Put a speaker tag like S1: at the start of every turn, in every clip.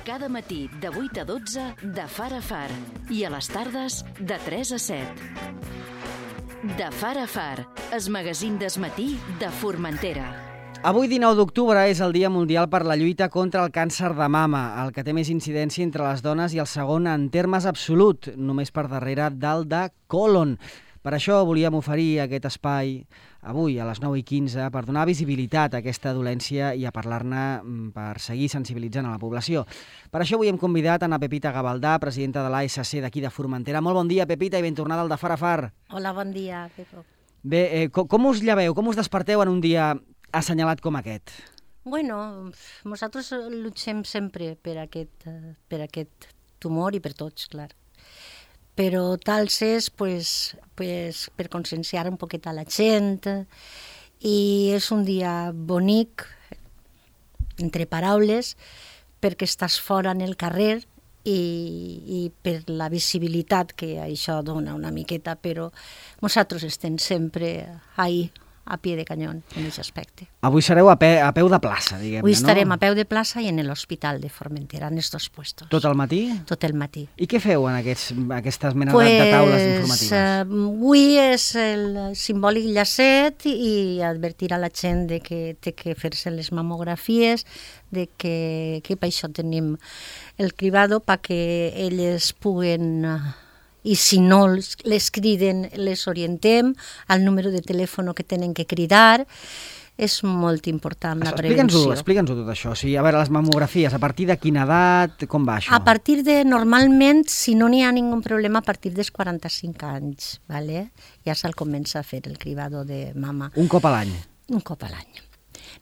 S1: Cada matí de 8 a 12 de Far a Far i a les tardes de 3 a 7. De Far a Far, el magazín d'esmatí de Formentera.
S2: Avui, 19 d'octubre, és el Dia Mundial per la lluita contra el càncer de mama, el que té més incidència entre les dones i el segon en termes absolut, només per darrere del de còlon. Per això volíem oferir aquest espai avui a les 9:15 per donar visibilitat a aquesta dolència i a parlar-ne per seguir sensibilitzant a la població. Per això avui hem convidat a Pepita Gavaldà, presidenta de l'ASC d'aquí de Formentera. Molt bon dia, Pepita, i ben tornada al de Far a Far.
S3: Hola, bon dia, Pepo.
S2: Bé, com us lleveu, com us desperteu en un dia assenyalat com aquest?
S3: Bueno, nosaltres lluitem sempre per aquest tumor i per tots, clar. Però tal és pues, per conscienciar un poquet a la gent, i és un dia bonic, entre paraules, perquè estàs fora en el carrer i per la visibilitat que això dona una miqueta, però nosaltres estem sempre ahí, a pie de canyón, en aquest aspecte.
S2: Avui sereu a peu de plaça, diguem-ne, no?
S3: Avui estarem a peu de plaça i en l'Hospital de Formentera, en estos puestos.
S2: Tot el matí?
S3: Tot el matí.
S2: I què feu en aquestes menes de taules informatives?
S3: Avui és el simbòlic llacet i advertir a la gent de que té que fer-se les mamografies, de que per això tenim el cribado perquè elles puguen... I si no les criden, les orientem al número de telèfon que tenen que cridar. És molt important la prevenció.
S2: Explica'ns-ho tot això. O sigui, a veure, les mamografies, a partir de quina edat, com va això?
S3: A partir de, normalment, si no n'hi ha ningun problema, a partir dels 45 anys, ¿vale? Ja se'l comença a fer el cribado de mama.
S2: Un cop a l'any?
S3: Un cop a l'any.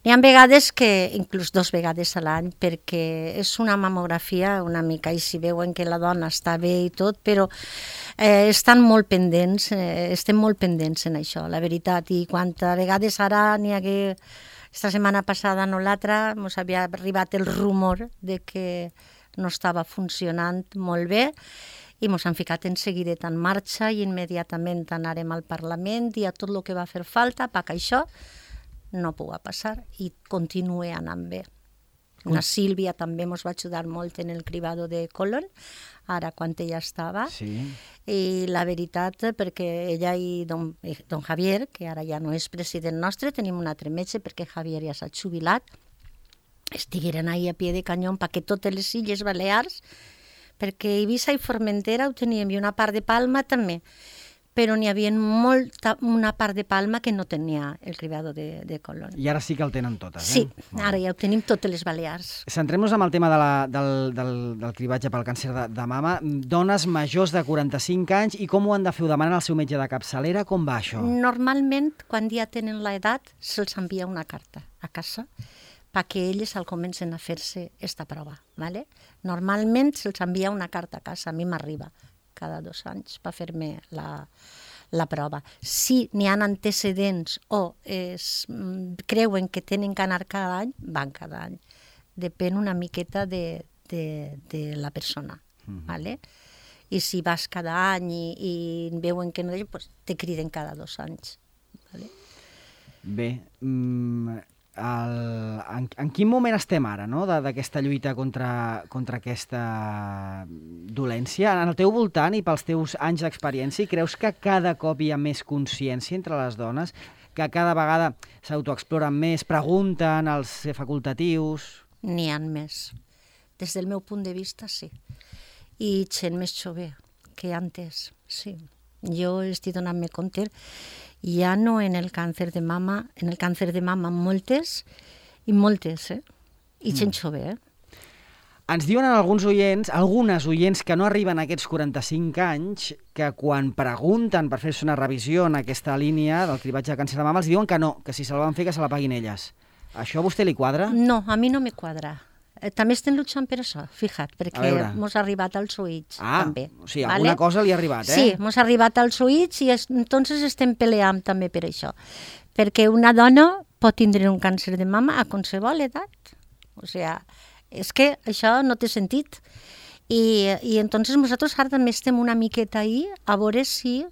S3: N'hi ha vegades que, inclús 2 vegades a l'any, perquè és una mamografia una mica, i si veuen que la dona està bé i tot, però estan molt pendents, estem molt pendents en això, la veritat, i quantes vegades ara n'hi hagué, esta setmana passada no l'altra, ens havia arribat el rumor de que no estava funcionant molt bé, i ens han ficat en seguidet en marxa i immediatament anarem al Parlament i a tot el que va fer falta perquè això no pugui passar i continue anant bé. La Sílvia també ens va ajudar molt en el cribado de còlon, ara quan ella estava,
S2: sí.
S3: I la veritat, perquè ella i don Javier, que ara ja no és president nostre, tenim un altre metge perquè Javier ja s'ha jubilat, estigueren ahí a pie de canyón perquè totes les Illes Balears, perquè Eivissa i Formentera ho teníem i una part de Palma també, però n'hi havia una part de Palma que no tenia el cribado de còlon.
S2: I ara sí que el tenen totes,
S3: Sí, ara ja ho tenim totes les Balears.
S2: Centrem-nos en el tema del cribatge pel càncer de mama. Dones majors de 45 anys, i com ho han de fer? Ho demanen al seu metge de capçalera? Com va això?
S3: Normalment, quan ja tenen l'edat, se'ls envia una carta a casa perquè elles comencen a fer-se aquesta prova. ¿Vale? Normalment se'ls envia una carta a casa, a mi m'arriba cada 2 anys per fer-me la prova. Si n'hi ha antecedents o creuen que tenen que anar cada any, van cada any. Depèn una miqueta de la persona. ¿Vale? I si vas cada any i veuen que no, pues te criden cada 2 anys. ¿Vale?
S2: Bé, en quin moment estem ara, no?, d'aquesta lluita contra aquesta dolència? En el teu voltant i pels teus anys d'experiència, creus que cada cop hi ha més consciència entre les dones, que cada vegada s'autoexploren més, pregunten als facultatius?
S3: N'hi ha més. Des del meu punt de vista, sí. I gent més jove que antes, sí. Jo estic donant-me compte, ja no en el càncer de mama, moltes, i gent jove,
S2: Ens diuen algunes oients que no arriben a aquests 45 anys, que quan pregunten per fer-se una revisió en aquesta línia del cribatge de càncer de mama, els diuen que no, que si se la van fer, que se la paguin elles. Això a vostè li quadra?
S3: No, a mi no me quadra. També estem lluitant per això, fija't, perquè ens ha arribat als oïts, també.
S2: O sigui, alguna cosa li ha arribat,
S3: Sí, ens ha arribat als oïts i entonces estem peleant també per això. Perquè una dona pot tindre un càncer de mama a qualsevol edat. O sigui, és que això no té sentit. I entonces nosaltres ara també estem una miqueta ahí a veure si...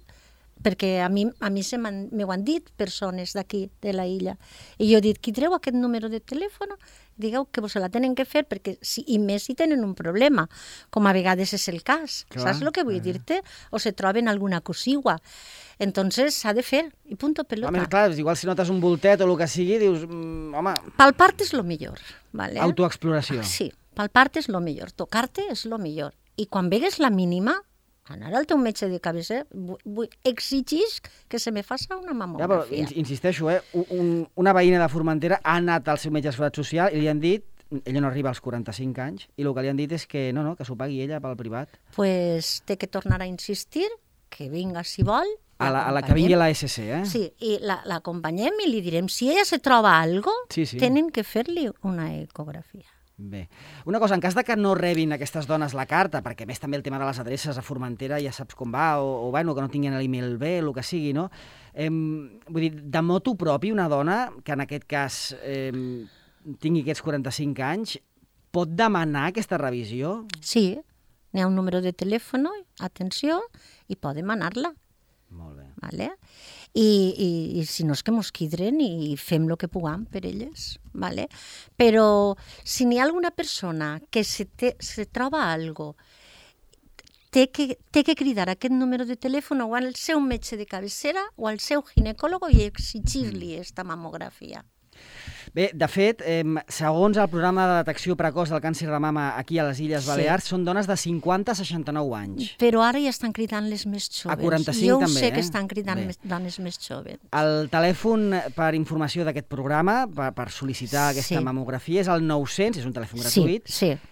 S3: perquè a mi m'ho han dit persones d'aquí, de la illa. I jo he dit, qui treu aquest número de telèfon? digueu que vos la tenen que fer, perquè i més si tenen un problema, com a vegades és el cas.
S2: Clar.
S3: Saps el que vull dir-te? O se troben alguna cosigua. Entonces s'ha de fer, i punto pelota.
S2: A més, clar, igual si notes un voltet o el que sigui, dius, home...
S3: Palpar-te és lo millor, ¿vale?
S2: Autoexploració.
S3: Sí, palpar-te és lo millor, tocar-te és lo millor. I quan vegues la mínima, anar al teu metge de cabecera, exigís que se me faça una mamografia.
S2: Ja, però insisteixo, una veïna de Formentera ha anat al seu metge de seguretat social i li han dit, ella no arriba als 45 anys, i el que li han dit és que no, que s'ho pagui ella pel privat.
S3: Pues té que tornar a insistir, que vinga si vol.
S2: A la que vingui a la SC, eh?
S3: Sí, i l'acompanyem i li direm, si ella se troba algo,
S2: Sí.
S3: tenen que fer-li una ecografia.
S2: Bé. Una cosa, en cas de que no rebin aquestes dones la carta, perquè a més també el tema de les adreces a Formentera ja saps com va, o bueno, que no tinguin l'email bé, el que sigui, no? Vull dir, de motu propi, una dona que en aquest cas tingui aquests 45 anys, pot demanar aquesta revisió?
S3: Sí, n'hi ha un número de telèfon, atenció, i pot demanar-la.
S2: Molt bé.
S3: Vale? I si no és que mos quidren i fem el que puguem per elles. Vale? Però si n'hi ha alguna persona que se troba algo, té que cridar aquest número de telèfon o al seu metge de cabecera o al seu ginecòleg i exigir-li esta mamografia.
S2: Bé, de fet, segons el programa de detecció precoç del càncer de mama aquí a les Illes Balears, són dones de 50 a 69 anys.
S3: Però ara ja estan cridant les més joves.
S2: A 45
S3: jo
S2: també,
S3: sé que estan cridant dones més joves.
S2: El telèfon per informació d'aquest programa, per sol·licitar aquesta mamografia, és el 900, és un telèfon gratuït,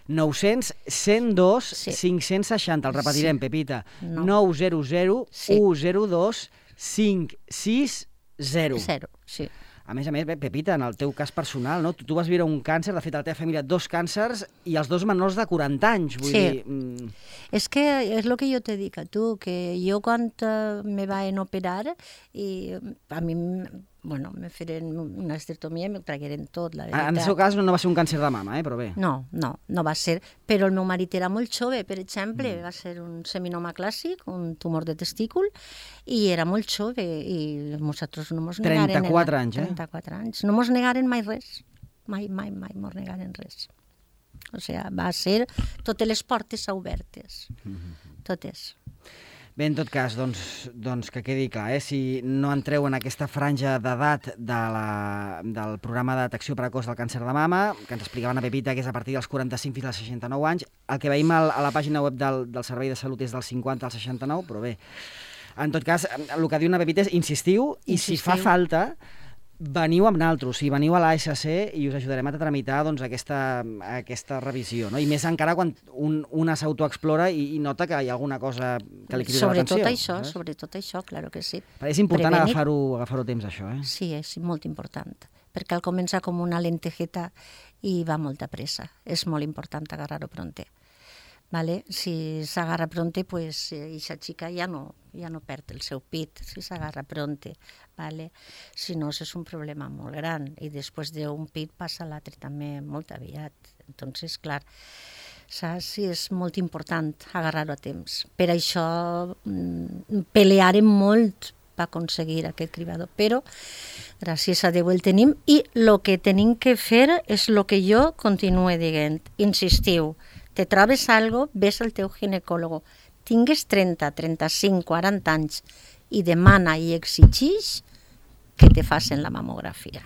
S2: 900 102 560. El repetirem, Pepita. 900 102 560.
S3: Sí.
S2: A més, Pepita, en el teu cas personal, no? Tu vas viure un càncer, de fet, a la teva família, 2 càncers, i els 2 menors de 40 anys. Vull dir...
S3: És que és el que jo te dic a tu, que jo quan me van operar, i a mi, bueno, me feren una esterectomia i me tragueren tot, la veritat.
S2: En el seu cas no va ser un càncer de mama, però bé.
S3: No va ser. Però el meu marit era molt jove, per exemple, va ser un seminoma clàssic, un tumor de testícul, i era molt jove, i nosaltres no mos negaren...
S2: 34 anys,
S3: 34 anys. No mos negaren mai res. Mai mos negaren res. O sigui, va ser totes les portes obertes. Totes.
S2: Bé, en tot cas, doncs que quedi clar, si no entreu en aquesta franja d'edat del programa de detecció precoç del càncer de mama, que ens explicaven a Pepita que és a partir dels 45 fins als 69 anys, el que veiem a la pàgina web del Servei de Salut és dels 50 als 69, però bé, en tot cas, el que diu una Pepita és insistiu, i si fa falta, veniu amb naltros, veniu a l'ASC i us ajudarem a tramitar aquesta revisió, no? I més encara quan una s'autoexplora i nota que hi ha alguna cosa que li crida l'atenció.
S3: Sobretot això, clar que sí.
S2: És important agafar-ho a temps, això, eh?
S3: Sí, és molt important, perquè al començar com una lentejeta i va molta pressa. És molt important agarrar-ho pronte. Vale? Si s'agarra pronte, pues, aquesta xica ja no perd el seu pit, si s'agarra pronte. Vale? Si no, és un problema molt gran, i després d'un pit passa l'altre també molt aviat. Entonces, clar, saps? Sí, és molt important agarrar-ho a temps. Per això pelearem molt per aconseguir aquest cribador, però gràcies a Déu el tenim, i el que tenim que fer és el que jo continuo dient. Insistiu, te trobes algo, ves al teu ginecòleg, tingues 30, 35, 40 anys, i demana i exigeix que te facin la mamografia.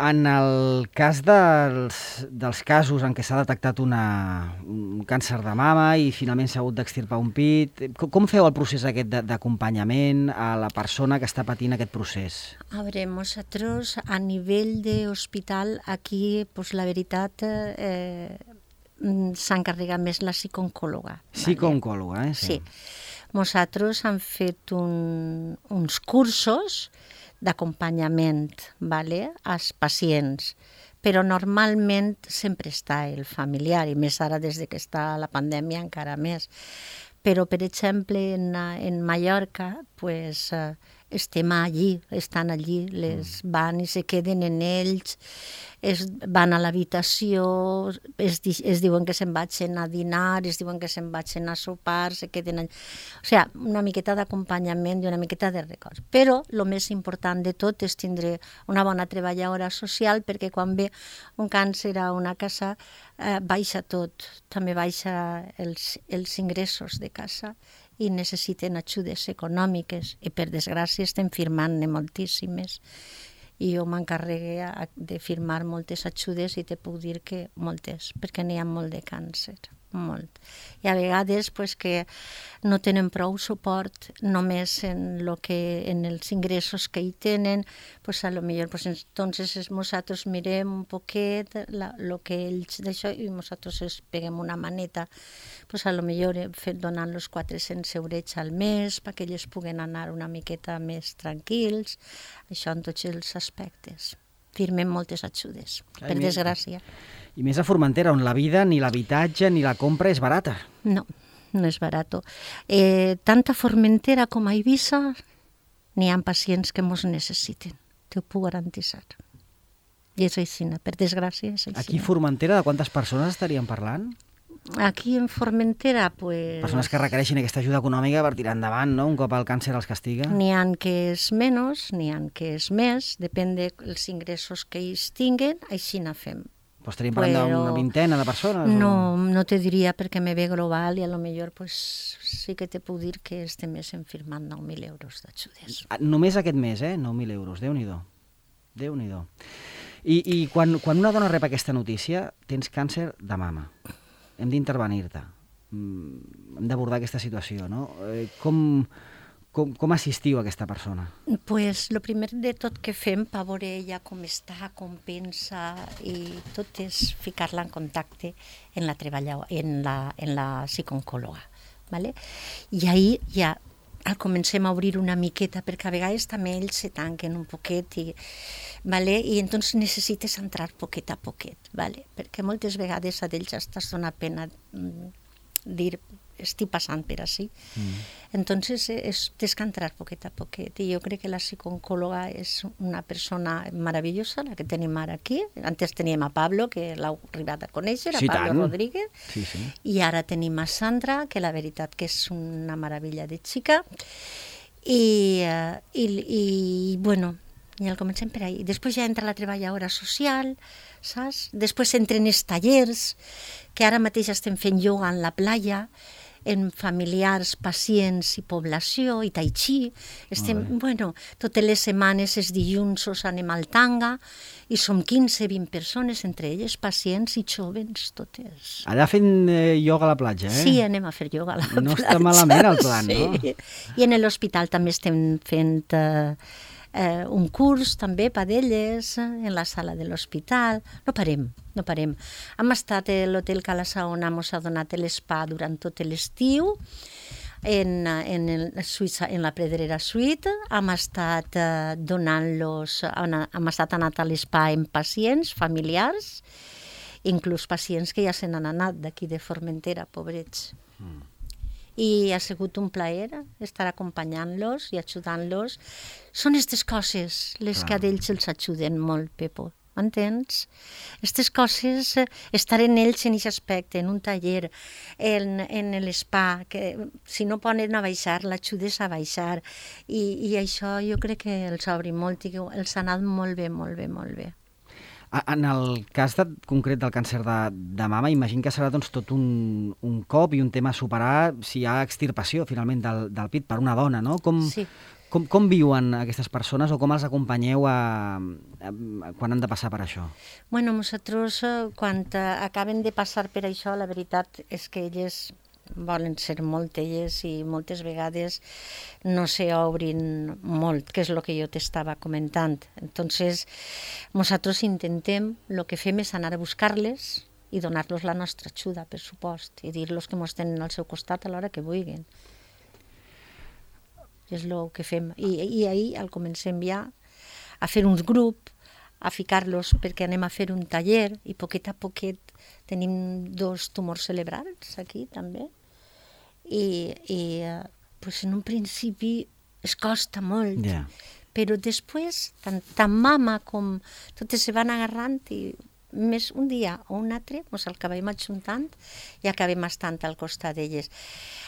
S2: En el cas dels casos en què s'ha detectat un càncer de mama i finalment s'ha hagut d'extirpar un pit, com feu el procés aquest d'acompanyament a la persona que està patint aquest procés?
S3: A veure, nosaltres a nivell d'hospital aquí, pues, la veritat, s'encarrega més la psicooncòloga.
S2: Psicooncòloga,
S3: Sí. Nosaltres hem fet uns cursos d'acompanyament, vale, als pacients, però normalment sempre està el familiar, i més ara des que està la pandèmia encara més. Però, per exemple, en Mallorca, pues, estem allí, estan allí, van i se queden en ells, van a l'habitació, es diuen que se'n vagin a dinar, es diuen que se'n vagin a sopar, se queden allà. O sigui, una miqueta d'acompanyament i una miqueta de records. Però el més important de tot és tindre una bona treballadora social, perquè quan ve un càncer a una casa baixa tot, també baixa els ingressos de casa i necessiten ajudes econòmiques i per desgràcia estem firmant-ne moltíssimes i jo m'encarregué de firmar moltes ajudes i te puc dir que moltes, perquè n'hi ha molt de càncer, molt. I a vegades pues, que no tenen prou suport només en els ingressos que hi tenen, pues, a lo millor pues, entonces nosaltres mirem un poquet el que ells d'això i nosaltres els peguem una maneta, pues, a lo millor donant-los 400 eurets al mes perquè ells puguen anar una miqueta més tranquils, això en tots els aspectes. Firmem moltes ajudes, per desgràcia.
S2: I més a Formentera, on la vida, ni l'habitatge, ni la compra és barata.
S3: No, no és barat. Tant a Formentera com a Eivissa n'hi ha pacients que mos necessiten, t'ho puc garantitzar. I és així, per desgràcia és així.
S2: Aquí a Formentera, de quantes persones estaríem parlant?
S3: Aquí en Formentera, pues...
S2: Persones que requereixin aquesta ajuda econòmica per tirar endavant, no?, un cop el càncer els castiga.
S3: N'hi ha que és menys, n'hi ha que és més, depèn dels ingressos que ells tinguen, així na fem.
S2: Pues estaríem parlant d'una vintena de persones?
S3: No te diria perquè me ve global i a lo millor pues, sí que te puc dir que estem firmant 9.000 euros d'ajudes.
S2: Només aquest mes, 9.000 euros, Déu-n'hi-do. Déu-n'hi-do. I quan una dona rep aquesta notícia, tens càncer de mama. Hem d'intervenir-te. Hem d'abordar aquesta situació, no? Com assistiu a aquesta persona?
S3: Pues el primer de tot que fem per veure ella com està, com pensa i tot és ficar-la en contacte en la psicooncòloga. ¿Vale? I ahir ja comencem a obrir una miqueta perquè a vegades també ells se tanquen un poquet ¿vale? I entonces necessites entrar poquet a poquet, ¿vale? Perquè moltes vegades a ells estàs dona pena dir estic passant per així. Entonces tens que entrar poquet a poquet i jo crec que la psicooncòloga és una persona meravellosa, la que tenim ara aquí. Antes teníem a Pablo, que l'heu arribat a conèixer, a Pablo Rodríguez, i ara tenim a Sandra, que la veritat que és una meravella de xica, i bueno, ja el comencem per ahí. Després ja entra la treballadora social, saps? Després entren els tallers, que ara mateix estem fent ioga en la playa, en familiars, pacients i població, i tai chi. Totes les setmanes, els dilluns, anem al tanga, i som 15-20 persones, entre elles pacients i joves, totes.
S2: Allà fent ioga a la platja,
S3: Sí, anem a fer ioga a la platja.
S2: No està malament el plan, no?
S3: I en l'hospital també estem fent un curs també per d'elles en la sala de l'hospital. No parem. Hem estat a l'hotel Cala Saona, ens ha donat l'espa durant tot l'estiu en la Pedrera Suite. Hem estat anat a l'espa amb pacients familiars, inclús pacients que ja se n'han anat d'aquí de Formentera, pobrets. I ha sigut un plaer estar acompanyant-los i ajudant-los. Són aquestes coses les que a ells els ajuden molt, Pepo, m'entens? Aquestes coses, estar en ells en aquest aspecte, en un taller, en l'espa, que si no poden a baixar, l'ajudes a baixar, i això jo crec que els obri molt i que els ha anat molt bé, molt bé, molt bé.
S2: En el cas concret del càncer de mama, imagino que serà tot un cop i un tema a superar si hi ha extirpació, finalment, del pit per una dona, no? Com viuen aquestes persones o com els acompanyeu quan han de passar per això?
S3: Bueno, nosaltres, quan acaben de passar per això, la veritat és que elles volen ser molt elles i moltes vegades no s'obrin molt, que és el que jo t'estava comentant. Entonces, nosaltres intentem, el que fem és anar a buscar-les i donar-los la nostra ajuda, per supost, i dir-los que ens tenen al seu costat a l'hora que vulguin. És el que fem. I ahir el comencem ja a fer uns grups, a ficar-los perquè anem a fer un taller i poquet a poquet tenim 2 tumors cerebrals aquí també. I pues en un principi es costa molt.
S2: Ja.
S3: Però després, tant mama com totes se van agarrant i més un dia o un altre ens acabem ajuntant i acabem estant al costat d'elles.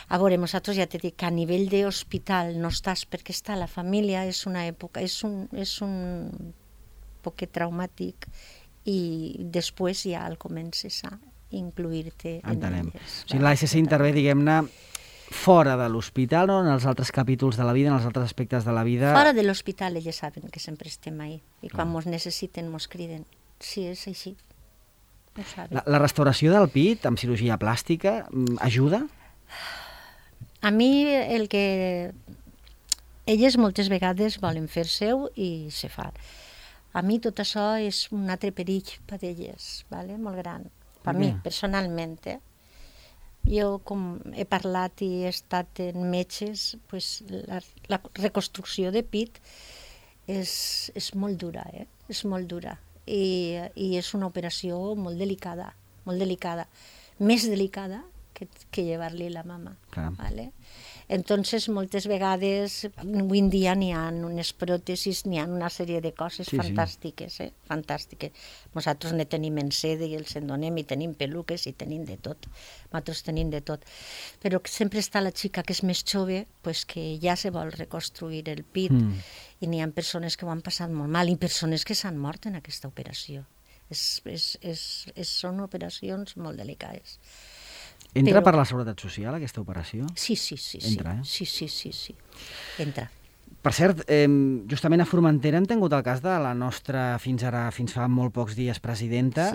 S3: A veure, nosaltres ja t'he dit que a nivell d'hospital no estàs perquè està la família, és una època, és un poquet traumàtic i després ja el comences a incluir-te en elles.
S2: O sigui, l'ASC intervé, diguem-ne, fora de l'hospital o en els altres capítols de la vida, en els altres aspectes de la vida?
S3: Fora de l'hospital elles saben que sempre estem ahí i quan ens necessiten ens criden. Sí, és així. Ho saben.
S2: La restauració del pit amb cirurgia plàstica ajuda?
S3: A mi el que elles moltes vegades volen fer seu i se fa. A mi tot això és un altre perill per elles, vale? Molt gran. Per mi, personalment. Jo, com he parlat i he estat en metges, pues, la reconstrucció de pit és molt dura, és molt dura. I és una operació molt delicada, més delicada que llevar-li la mama. ¿Vale? Entonces, moltes vegades, avui en dia n'hi ha unes pròtesis, n'hi ha una sèrie de coses fantàstiques, fantàstiques. Nosaltres ne tenim en seda i els en donem, i tenim peluques, i tenim de tot. Nosaltres tenim de tot. Però sempre està la xica que és més jove, pues, que ja se vol reconstruir el pit, i n'hi ha persones que ho han passat molt mal, i persones que s'han mort en aquesta operació. Són operacions molt delicades.
S2: Entra per la Seguretat Social, aquesta operació?
S3: Sí.
S2: Entra,
S3: Sí. Entra.
S2: Per cert, justament a Formentera hem tingut el cas de la nostra, fins fa molt pocs dies, presidenta,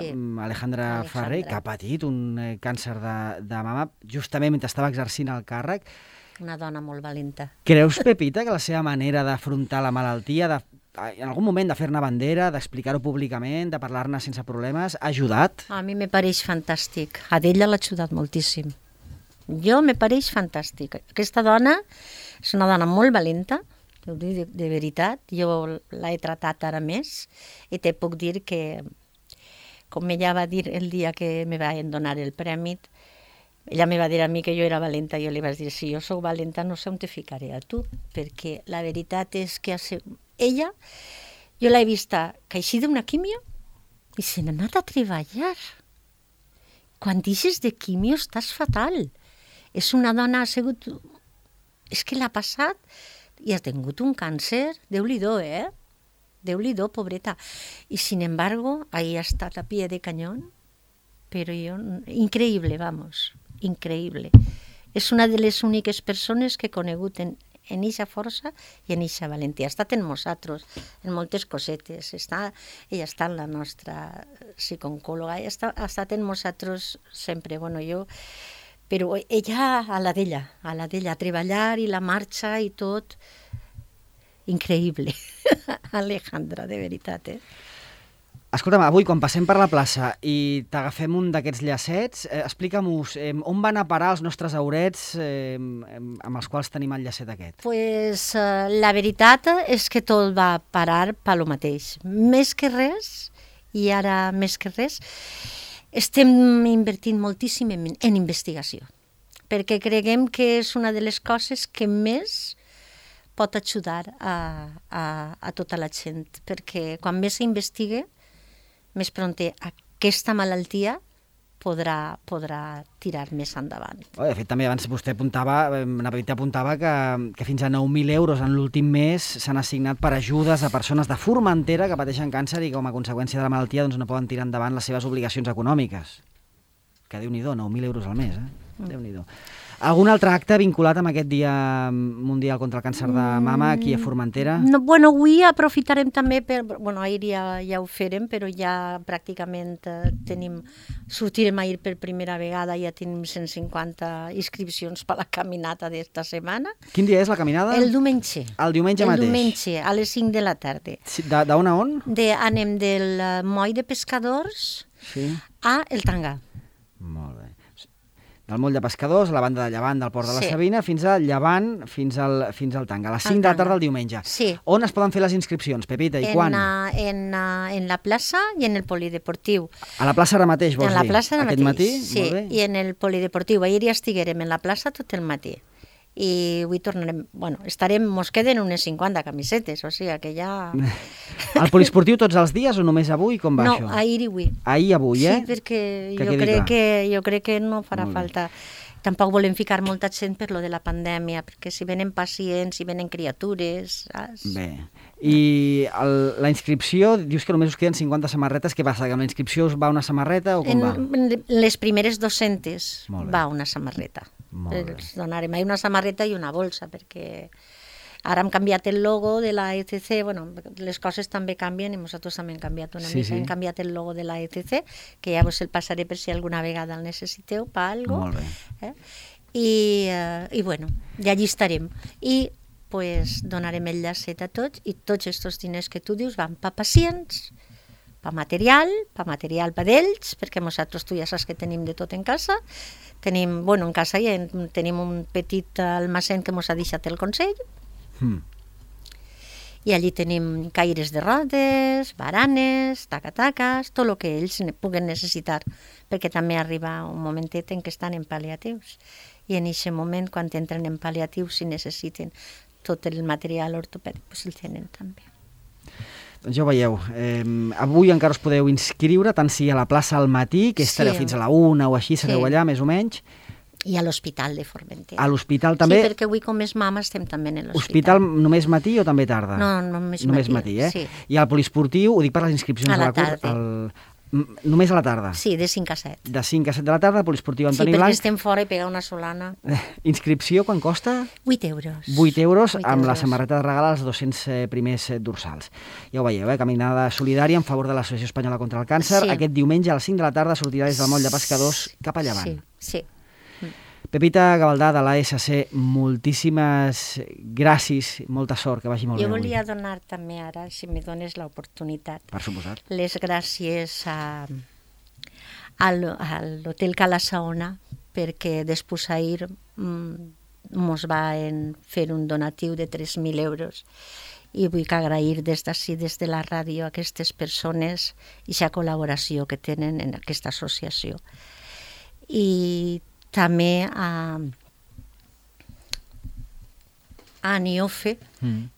S2: Alejandra Ferrer, que ha patit un càncer de mama justament mentre estava exercint el càrrec.
S3: Una dona molt valenta.
S2: Creus, Pepita, que la seva manera d'afrontar la malaltia, en algun moment de fer-ne bandera, d'explicar-ho públicament, de parlar-ne sense problemes, ha ajudat?
S3: A mi me pareix fantàstic. A ella l'ha ajudat moltíssim. Me pareix fantàstic. Aquesta dona és una dona molt valenta, ho dic de veritat. Jo l'he tratat ara més i te puc dir que, com ella va dir el dia que me va donar el premi, ella me va dir a mi que jo era valenta, jo li vaig dir, si jo sóc valenta no sé on te ficaré a tu, perquè la veritat és que ella, jo l'he vista caixir d'una quimio i se n'ha anat a treballar. Quan deixes de quimio estàs fatal. És una dona, ha sigut... És que l'ha passat i ha tingut un càncer, Déu-li-do, Déu-li-do, pobreta. I, sin embargo, ahí ha estat a pie de cañón, però increïble, vamos, increïble. És una de les úniques persones que he conegut en eixa força i en eixa valentia. Ha estat en nosaltres, en moltes cosetes. Ella està en la nostra psicooncòloga, ha estat en nosaltres sempre. Però ella a la d'ella, a treballar i la marxa i tot. Increïble. Alejandra, de veritat,
S2: Escolta'm, avui, quan passem per la plaça i t'agafem un d'aquests llacets, explica'm-nos on van a parar els nostres aurets amb els quals tenim el llacet aquest?
S3: Pues la veritat és que tot va parar per lo mateix. Més que res, i ara més que res, estem invertint moltíssim en investigació, perquè creguem que és una de les coses que més pot ajudar a tota la gent, perquè quan més s'investiga, més prompte aquesta malaltia podrà tirar més endavant.
S2: De fet, també abans vostè apuntava que fins a 9.000 euros en l'últim mes s'han assignat per ajudes a persones de Formentera que pateixen càncer i com a conseqüència de la malaltia no poden tirar endavant les seves obligacions econòmiques. Que Déu-n'hi-do, 9.000 euros al mes, Déu-n'hi-do. Algun altre acte vinculat amb aquest Dia Mundial contra el Càncer de Mama aquí a Formentera?
S3: Avui aprofitarem també ahir ja ho farem, però ja pràcticament sortirem ahir per primera vegada, ja tenim 150 inscripcions per la caminata d'esta setmana.
S2: Quin dia és la caminada?
S3: El diumenge.
S2: El diumenge mateix?
S3: El diumenge, a les 5 de la tarda.
S2: D'on a on?
S3: Anem del moll de pescadors a el Tanga.
S2: Molt bé. Del moll de pescadors, a la banda de llevant del Port de la Sabina, fins a llevant, fins al Tanga, a les 5 de la tarda del diumenge.
S3: Sí.
S2: On es poden fer les inscripcions, Pepita, i quan?
S3: En la plaça i en el polideportiu.
S2: A la plaça ara mateix, vols dir?
S3: En la plaça ara mateix,
S2: matí?
S3: sí, i en el polideportiu. Ahir ja estiguérem en la plaça tot el matí. i avui tornarem, mos queden unes 50 camisetes, o sigui que ja...
S2: Al poliesportiu tots els dies o només avui? Com va això?
S3: No, ahir i avui.
S2: Ahir i avui,
S3: Sí, perquè jo crec que no farà falta. Tampoc volem ficar molta gent per lo de la pandèmia, perquè si venen pacients, si venen criatures... Saps?
S2: Bé. I la inscripció, dius que només us queden 50 samarretes, què passa? Que amb la inscripció us va una samarreta o com va?
S3: Les primeres 200 va una samarreta. Els donarem una samarreta i una bolsa, perquè ara hem canviat el logo de la ECC, les coses també canvien i nosaltres també hem canviat una mica. Hem canviat el logo de la ECC, que ja vos el passaré per si alguna vegada el necessiteu per alguna cosa.
S2: Molt bé.
S3: I allí estarem. I donarem el llacet a tots i tots aquests diners que tu dius van per pacients, per material per ells, perquè nosaltres tu ja saps que tenim de tot en casa. En casa ja tenim un petit almacén que mos ha deixat el Consell, i allí tenim caires de rodes, baranes, tacataques, tot el que ells puguen necessitar, perquè també arriba un momentet en què estan en pal·liatius, i en aquest moment, quan entren en pal·liatius, si necessiten tot el material ortopèdic, el tenen també.
S2: Doncs ja ho veieu, avui encara us podeu inscriure, tant si a la plaça al matí, que estareu fins a la 1 o així, sereu allà, més o menys.
S3: I a l'Hospital de Formentera.
S2: A l'hospital també?
S3: Sí, perquè avui com és mama estem també en l'hospital.
S2: Hospital només matí o també tarda?
S3: No, només matí,
S2: sí. I al poliesportiu, ho dic per les inscripcions
S3: a la tarda.
S2: Només a la tarda?
S3: Sí, de 5 a 7.
S2: De 5 a 7 de la tarda, al poliesportiu Antoni Blanc.
S3: Sí, perquè estem fora i pegar una solana.
S2: Inscripció, quan costa?
S3: 8 euros.
S2: 8 euros amb la samarreta de regal als 200 primers dorsals. Ja ho veieu, caminada solidària en favor de l'Associació Espanyola contra el Càncer. Aquest diumenge a les 5 de la tarda sortirà des del moll de Pescadors cap a llevant.
S3: Sí.
S2: Pepita Gavaldà, de l'ASC, moltíssimes gràcies, molta sort, que vagi molt bé.
S3: Jo volia donar també ara, si me dones l'oportunitat,
S2: per suposat,
S3: les gràcies a l'Hotel Cala Saona, perquè després ahir mos van fer un donatiu de 3.000 euros i vull agrair des d'ací, des de la ràdio, a aquestes persones i la col·laboració que tenen en aquesta associació. I també a Aniofe,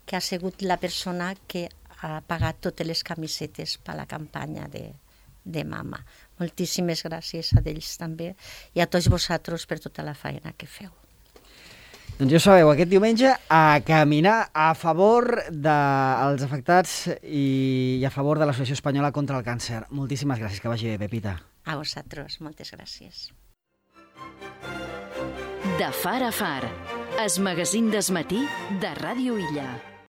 S3: que ha sigut la persona que ha pagat totes les camisetes per la campanya de mama. Moltíssimes gràcies a ells també i a tots vosaltres per tota la feina que feu.
S2: Doncs ja sabeu, aquest diumenge a caminar a favor dels afectats i a favor de l'Associació Espanyola contra el Càncer. Moltíssimes gràcies, que vagi bé, Pepita.
S3: A vosaltres, moltes gràcies.
S1: De far a far, el magazín del matí de Ràdio Illa.